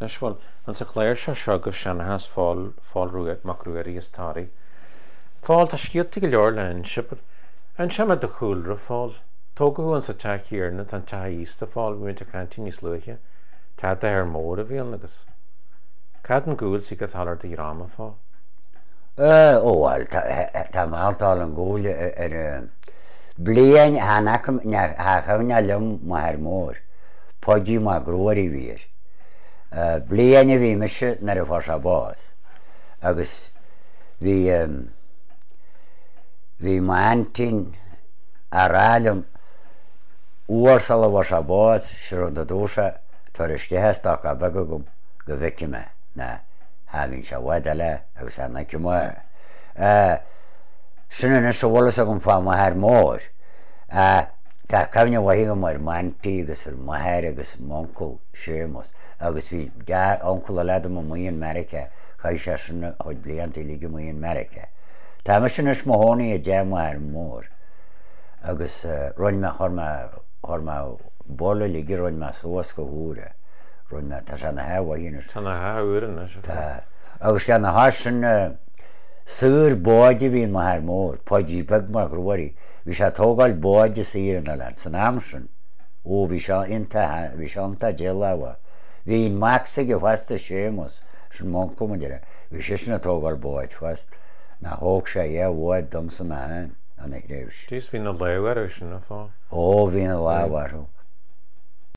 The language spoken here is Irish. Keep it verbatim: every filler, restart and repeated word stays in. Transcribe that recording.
Anois bhuel, ins an chlár seo seo agaibh seanchas Phóil, Phóil Rua, Mac Ruairí as Toraigh. Phóil, tá scéalta go leor le inse, but inseoidh mé do chúlra, Phóil. Tógadh thú insa teach céanna, tá an teach aosta, Phóil, bhí muid ag caint níos luaithe. Teach d'athair mór a bhí ann agus cad an gúil sí go talar do dhráma, Phóil? Ó bhuel, tá malltáil an gúil ar bliain cha chuimhneach liom m'athair mór, Páidí Mac Ruairí a bhí air. Bliain a bhí mise nuair a fuair sé bás agus bhí bhí m'aintín a rá liom uair sula bhfuair sé bás, sé rud a dúirt sé, tabhair isteach an stoca beag agam go bhfeicfidh mé ná cha bhíonn sé i bhfad eile agus chan fheicfidh mé é. Sin anois a bhfuil fhios agam fá m'athair mór. Tá cuimhne mhaith agam ar m'aintín agus ar m'athair agus m'uncail Séamus agus bhí uncail eile agam amuigh in Meiriceá, chaith sé sin a chuid blianta uilig amuigh in Meiriceá. Tá mise anois mo chónaí i dteach m'athar mór agus rinne mé, chuir mé, chuir mé ball uilig a rinne mé suas go húr é. Rinne mé, tá sé ina theach mhaith anois. Tá ina theach úr anois. Tá. Agus lena chois sin, saor báid a bhí in m'athair mór, Páidí Beag Mac Ruairí. Bhí sé ag tógáil báid is thír an oileáin san am sin. Ó, bhí sé iontach, bhí sé iontach déileáil. Bhí an mac s'aige fosta, Séamus, sin m'uncail mo dheartháir, bhí seisean ag tógáil báid fosta. Ná thóg sé dhá bhád domsa mé féin ina thréimhse. Jeez, bhí na lámh orthu sin, a Phóil. Ó, bhí na lámh orthu.